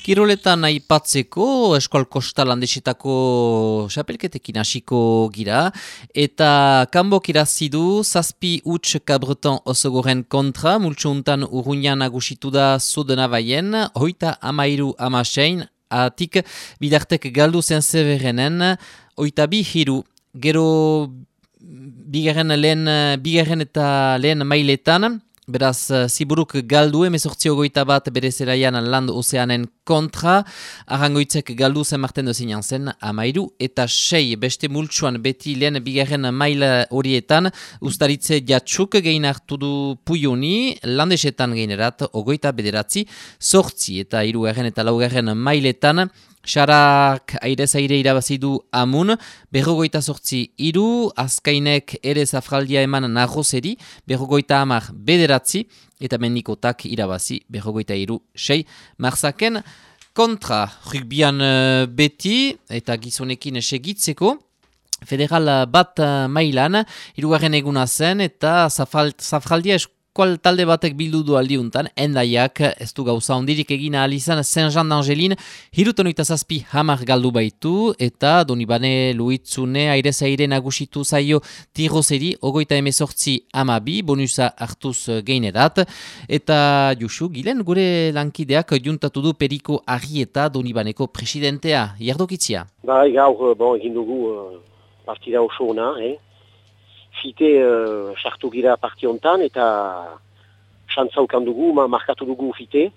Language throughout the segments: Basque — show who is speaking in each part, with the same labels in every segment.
Speaker 1: Kiroletan aipatzeko Eskol Kostal Landesetako xapelketekin hasiko gira eta kanbok irazi du 7-0 Cabreton Osogoren kontra, multsuuntan Urruñan nagusitu da Zudenabaien, 33-16, atik bidartek galdu zen Zeberenen, 22-3, gero bigarren eta lehen mailetan, beraz, Ziburuk galdu 18-21 bere zelaian Land Ozeanen kontra, Arrangoitzek galdu zen Marten Dozinan zen 13-6, beste multsuan beti lehen bigarren maila horietan, Ustaritze Jatxuk gehin hartu du Puyoni, Landesetan geinerat 29-8, eta 3. eta 4. mailetan, Xarak aire irabazi du Amun, 58-3, Azkainek ere zafraldia eman Narrozeri, 59-9, eta Mendikotak irabazi 53-6. Marsaken kontra rugbian beti eta gizonekin segitzeko, federal bat mailan, 3. eguna zen eta zafraldia Kual talde batek bildu du aldiuntan, Endaiak ez du gauza ondirik egin ahal izan Saint-Jean d'Angelin, 37-10 galdu baitu, eta Donibane Luitzune aire nagusitu zaio Tirozeri, 28-12, bonusa hartuz geinerat, eta Jusu, Gilen gure lankideak juntatu du Periko Arrieta Donibaneko presidentea, jardokitzia.
Speaker 2: Gaur, egin dugu partida oso ona, Fite sartu gira partiontan eta xantzaukan dugu, markatu dugu fite,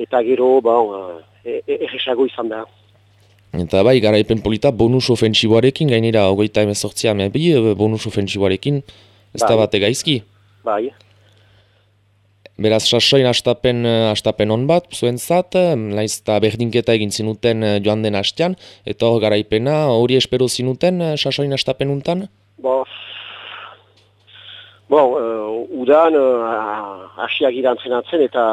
Speaker 2: eta gero erresago izan da.
Speaker 3: Eta garaipen polita bonus ofentsiboarekin, gainera 28 bonus ofentsiboarekin, ez da bate gaizki?
Speaker 2: Bai.
Speaker 3: Beraz, sasoin astapen on bat, zuentzat, naiz eta berdinketa egin zinuten joan den hastean, eta hor garaipena hori espero zinuten sasoin astapen untan?
Speaker 2: Udan asiak irantzenatzen eta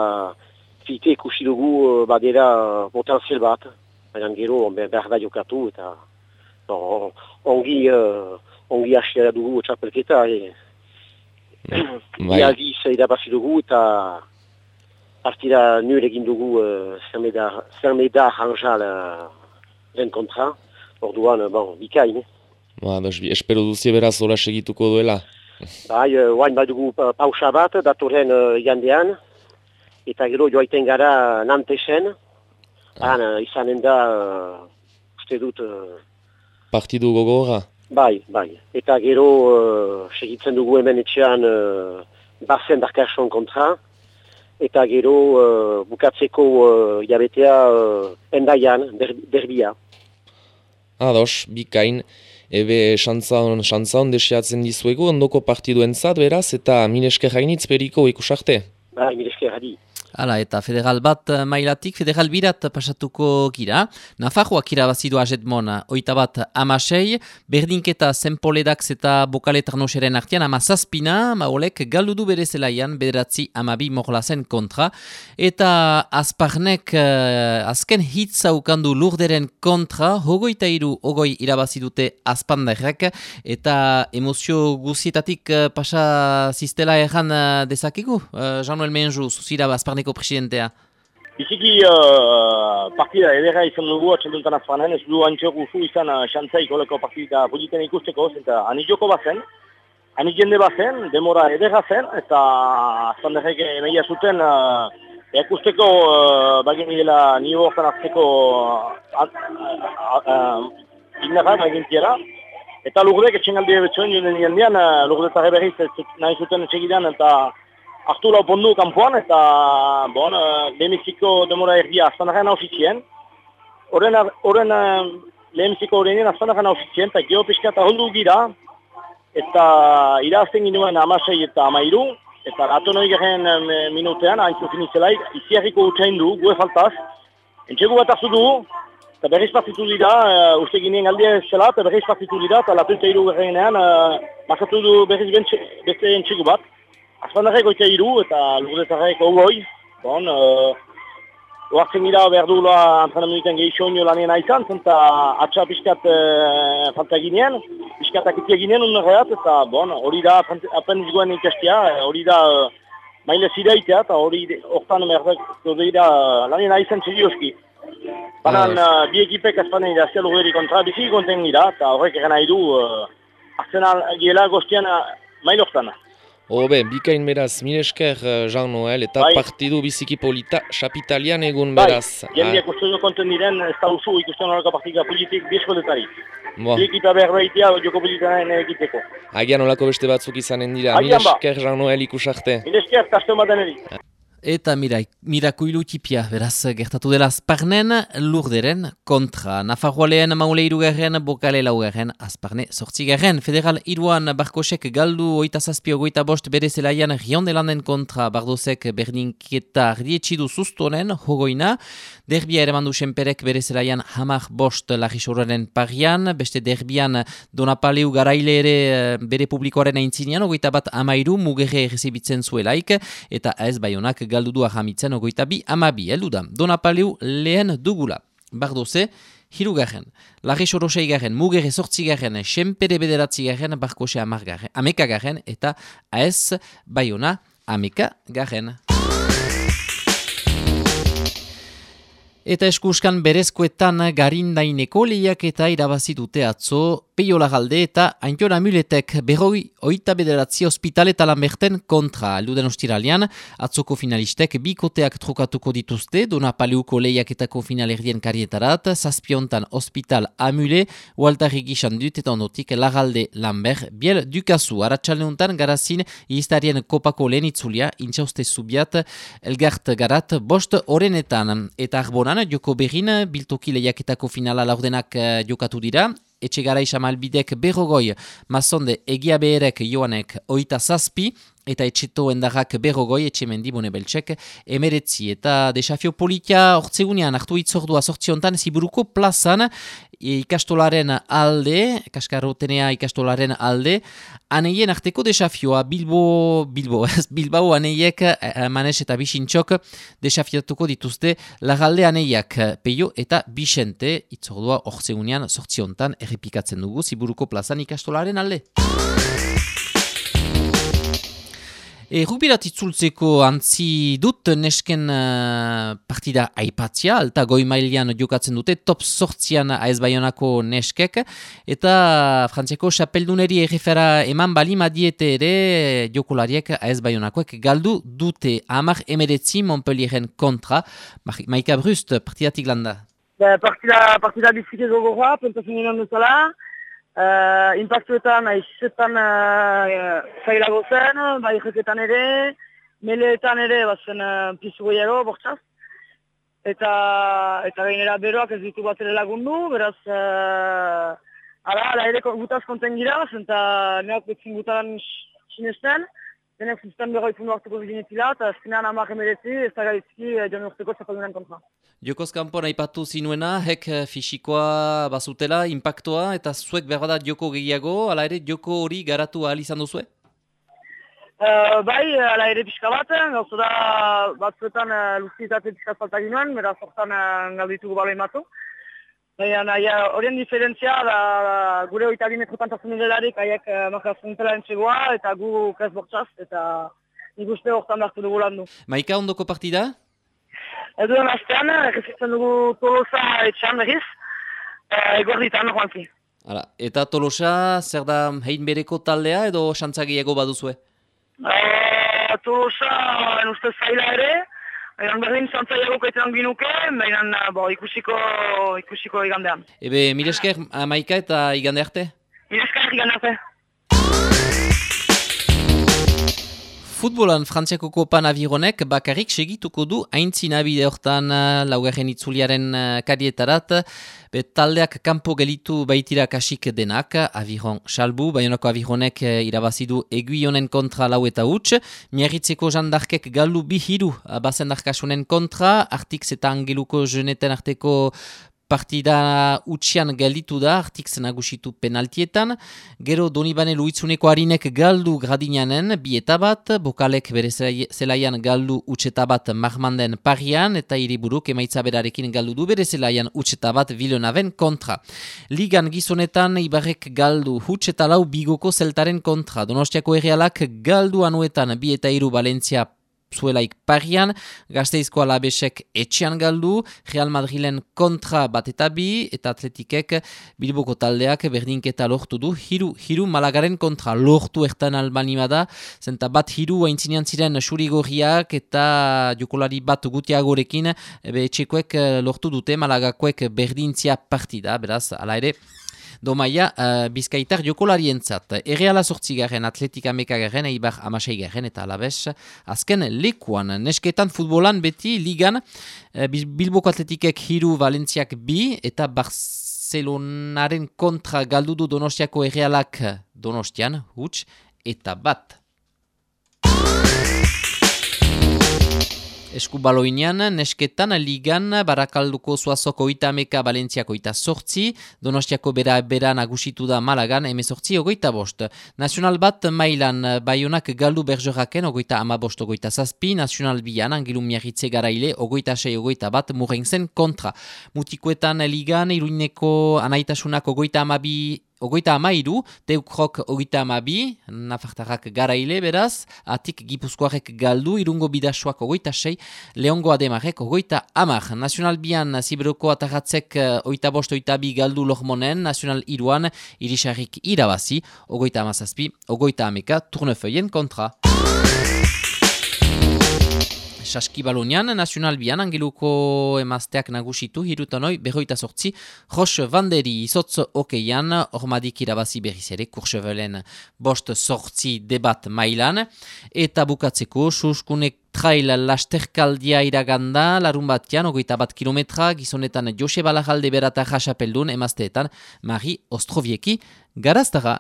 Speaker 2: fite ikusi dugu badera potenzial bat. Baina gero behar da jokatu eta ongi asiara dugu txapelketa. Bialdiz irabazi dugu eta partida nul egin dugu Zermeda Ranjal den kontra. Orduan, bikain.
Speaker 3: Espero duzie beraz hola segituko duela?
Speaker 2: Oain badugu pausa bat, datorren jandean, eta gero joaiten gara Nantesen, izanen da, uste dut...
Speaker 3: Partidu gogorra?
Speaker 2: Bai, eta gero segitzen dugu hemen etxean Barzen Darkason kontra, eta gero bukatzeko jabetea Endaian, derbia.
Speaker 3: Ados, bikain. Ebe xantza desiatzen dizuegu ondoko partiduentzat beraz eta minesker hainitz Periko ikusarte.
Speaker 2: Minesker hadi.
Speaker 1: Hala, eta federal bat mailatik, federal birat pasatuko gira. Nafarroak irabazidu Ajetmon 21-16, berdinketa Zenpoledax eta Bokaletarnoseren artean 17, Maolek galdudu bere zelaian 9-12 Morlazen kontra, eta Azparnek azken hitza ukandu Lurderen kontra, 23-20 irabazidute Azpanderrek, eta emozio guzietatik pasa ziztela erran dezakegu, Jean-Noel Menju, zuzira Azparneko presidentea.
Speaker 4: Biziki partida edera izan dugu atxalduntan Azparnen, ez du antxok usu izan xantzaik oleko partida politen ikusteko, eta anizoko bazen, jende bazen, demora edera zen, eta Azpanderrek emeia zuten ikusteko bagin dela nio hortan azteko ignaran egintiera, eta Lurdek etxengaldi ebetzuen joan jendean, Lurdetarre berriz nahi zuten etxegidean, eta hartu lau pondu kanpoan eta lehemiziko demora erdia Azpanarren hausitien. Horren lehemiziko horrenien Azpanarren hausitien eta geopiskat aholdu gira eta irazten ginoen 16 eta 13 eta atonoi garen minutean haintzu finizelaik iziarriko utxain du, gue faltaz. Entxegu bat hartu du eta berriz partitu dira, uste ginen galdia zela eta berriz partitu dira eta latu eta iru garenean markatu du berriz beste entxegu bat. Azpandarrek oita iru eta Lurdetarrek ogoi. Oartzen gira behar duela antrenamentuetan gehixoinio lanien aizan, zenta atxa piskat falta ginean, piskatak itia ginean unerreat, eta hori da aprendiz goen ikastia, hori da maile ziraitea, eta hori hortan merdako dira lanien aizan serioski. Banan, bi ekipek azpanen irazia lugeri kontra bizi konten gira, eta horrek egen nahi du Arsenal giela goztian maile hortan.
Speaker 3: Hobe, bikain beraz, minesker Jean-Noel, eta partidu biziki polita Chapitalian egun beraz.
Speaker 4: Jendeak uste du konten diren, ez da usu ikusten horreko partika politik bieskotetari. Bi ekipa behar behitea joko politiaren egiteko.
Speaker 3: Agian olako beste batzuk izanen dira, minesker Jean-Noel ikusarte.
Speaker 4: Minesker, kasten baten eri.
Speaker 1: Eta mirakuilu tipia, beraz, gertatu dela Azparnen Lurderen kontra. Nafarroa lehen maule irugarren, Bokale laugarren, Azparne sortzigarren. Federal iruan Barkosek galdu 27-25 bere zelaian Riondelanden kontra. Bardozek berdinketa ardietxidu zuztonen, hogoina. Derbia ere mandu senperek bere zelaian 15 Larrisoraren parian. Beste derbian Donapaleu garaile ere bere publikoaren aintzinean, 21 mugerre errezibitzen zuelaik. Eta ez Baionak galdu du ahamitzen 22-12 heldu da. Donapaleu lehen dugula. Bardoze, hirugarren. Larrisoro seigarren, Mugerre sortzigarren, Senpere bederatzigarren, Barkose amekagarren, eta AES Baiona amekagarren. Eta eskuskan berezkoetan garindaineko lehiaketa irabazi dute atzo Peio Larralde eta Aintor Amuletek 29 ospital eta Lamberten kontra. Eluden ostiralean, atzoko finalistek bikoteak trokatuko dituzte, Donapaleuko lehiaketako finalerdien karietarat, Zazpiontan ospital Amule, Waltarri gisan dut eta ondotik Larralde Lambert, Biel Dukazu. Aratxalneuntan garazin iztarien kopako lehen itzulia, intxauste zubiat, elgart garat, bost orenetan. Eta arbonan, joko berrin, biltoki lehiaketako finala laurdenak jokatu dira, Etxegara Isamalbidek berrogoi, Mazonde Egia Beherek Joanek 27, eta Etxeto Endarrak berrogoi, Etxemendi Bonebeltsek 19. Eta desafio politia hortzegunean hartu itzordua sortziontan Ziburuko plazan, ikastolaren alde, kaskarrotenea ikastolaren alde, aneien arteko desafioa, Bilbao aneiek, Manes eta Bixintxok desafiatuko dituzte Larralde aneiak, Peio eta Bixente, itzordua hortzegunean sortziontan errepikatzen dugu Ziburuko plazan ikastolaren alde. Rubirat itzultzeko antzi dut nesken partida aipatzia, alta goi mailean jokatzen dute, top sortzian AES Baionako neskek, eta Frantziako xapelduneri errefera eman bali madiete ere jokolariek AES Baionakoek galdu dute 10-19 Montpellieren kontra. Maika Brust, partidatik landa.
Speaker 5: Partida bizike gogoa, pentsatzen ginen duzala. Impactuetan, aizizetan zailago zen, bai jeketan ere, meleetan ere, bazen pizu gehiago, bortzaz. Eta gainera beroak ez ditu bat ere lagundu, beraz, ala ere gutaz konten gira, eta neak betzin gutan sinesten, denek zuzten berroi pundu hartuko bizinetila, eta azkenean 10-19 ez da gaitzki joan urteko txapadunen kontra.
Speaker 1: Jokoz kanpon aipatu zinuena, hek fisikoa bazutela, impactoa, eta zuek behar da joko gehiago, ala ere joko hori garatu ahal izan duzue?
Speaker 5: Bai, ala ere pixka baten, gauza da batzuetan luzitate pixka falta ginoen, beraz hortan galditugu balo imatu. Horien diferentzia da gure 22 metrotan tazen delarik, haiek markazen zela entzegoa, eta gu kez bortzaz, eta nik uste hortan behartu dugu landu.
Speaker 1: Maika, ondoko partida?
Speaker 5: Eduen astean, errezitzen dugu Tolosa etxean berriz, egorritan joanki.
Speaker 1: Eta Tolosa, zer da hein bereko taldea edo xantzagiago baduzue?
Speaker 5: Tolosa, ustez zaila ere, berdin xantzaiago kaitean ginuke, baina ikusiko igandean.
Speaker 1: Ebe, miresker, Maika eta igande arte?
Speaker 5: Miresker, igande arte.
Speaker 1: Futbolan Frantziako Kopan Avironek bakarrik segituko du aintzina bide hortan laugarren itzuliaren karietarat. Taldeak kanpo gelitu baitira kasik denak, Aviron salbu, Baionako Avironek irabazidu Eguionen kontra lau eta huts, Miarritzeko jandarkek galdu bihiru bazendarkasunen kontra, Artix eta Angeluko jeneten arteko partida utxian galitu da, Artix nagusitu penaltietan. Gero Donibane Luitzuneko harinek galdu Gradinanen bieta bat, Bokalek bere zelaian galdu utxeta bat Marmanden parian, eta Hiriburuk emaitza berarekin galdu du bere zelaian utxeta bat Villeneuven kontra. Ligan gizonetan Ibarrek galdu utxeta lau Bigoko zeltaren kontra. Donostiako Errealak galdu anuetan bi eta hiru Valentzia zuelaik parian, Gasteizko Alavesek etxean galdu, Real Madrilen kontra bat eta bi, eta Atletikek Bilboko taldeak berdinketa lortu du, hiru Malagaren kontra lortu ertan albanima da, zenta bat hiru aintzinean ziren xurigorriak eta jokolari bat gutiagorekin, etxekoek lortu dute Malagakoek berdintzia partida, beraz, ala ere, Domaia, Bizkaitar jokolarientzat. Erreala 8. Atletika 11. Eibar 16. eta Alaves azken lekuan. Nesketan futbolan beti ligan Bilboko Atletikek 3, Valentziak 2 eta Barcelonaren kontra galdudu Donostiako Errealak Donostian, huts, eta bat. Eskubaloinean, nesketan, ligan, Barakalduko Zuazoko 30, Valentziako 8, Donostiako bera nagusitu da Malagan, 18-25. Nacional bat mailan, Baionak galdu Bergeraken, 25-27, Nacional bian, Angilu Miarritze garaile, 26-21, Murenzen kontra. Mutikoetan ligan, Iruineko anaitasunak 32, 32, Teukrok 32, Nafartarrak garaile beraz, Atik Gipuzkoarek galdu, Irungo Bidasoak 26, Leongo Ademarek 30. Nacional bian, Ziberoko Ataratzek 25-22 galdu Lormonen, Nacional iruan, Irisarrik irabazi, 30-17, 30 Tournefeuillen kontra. Saskibalonian, Nacional bian, Angeluko emazteak nagusitu, hirutanoi, 28, Roche Vanderi izotz okeian, ormadik irabazi berriz ere, Courchevelen bost sortzi debat mailan, eta bukatzeko, suskunek trail lasterkaldia iraganda, larun batian, 21 kilometra, gizonetan Jose Balajalde berata jasapeldun, emazteetan, Mari Ostrovieki, garaztara.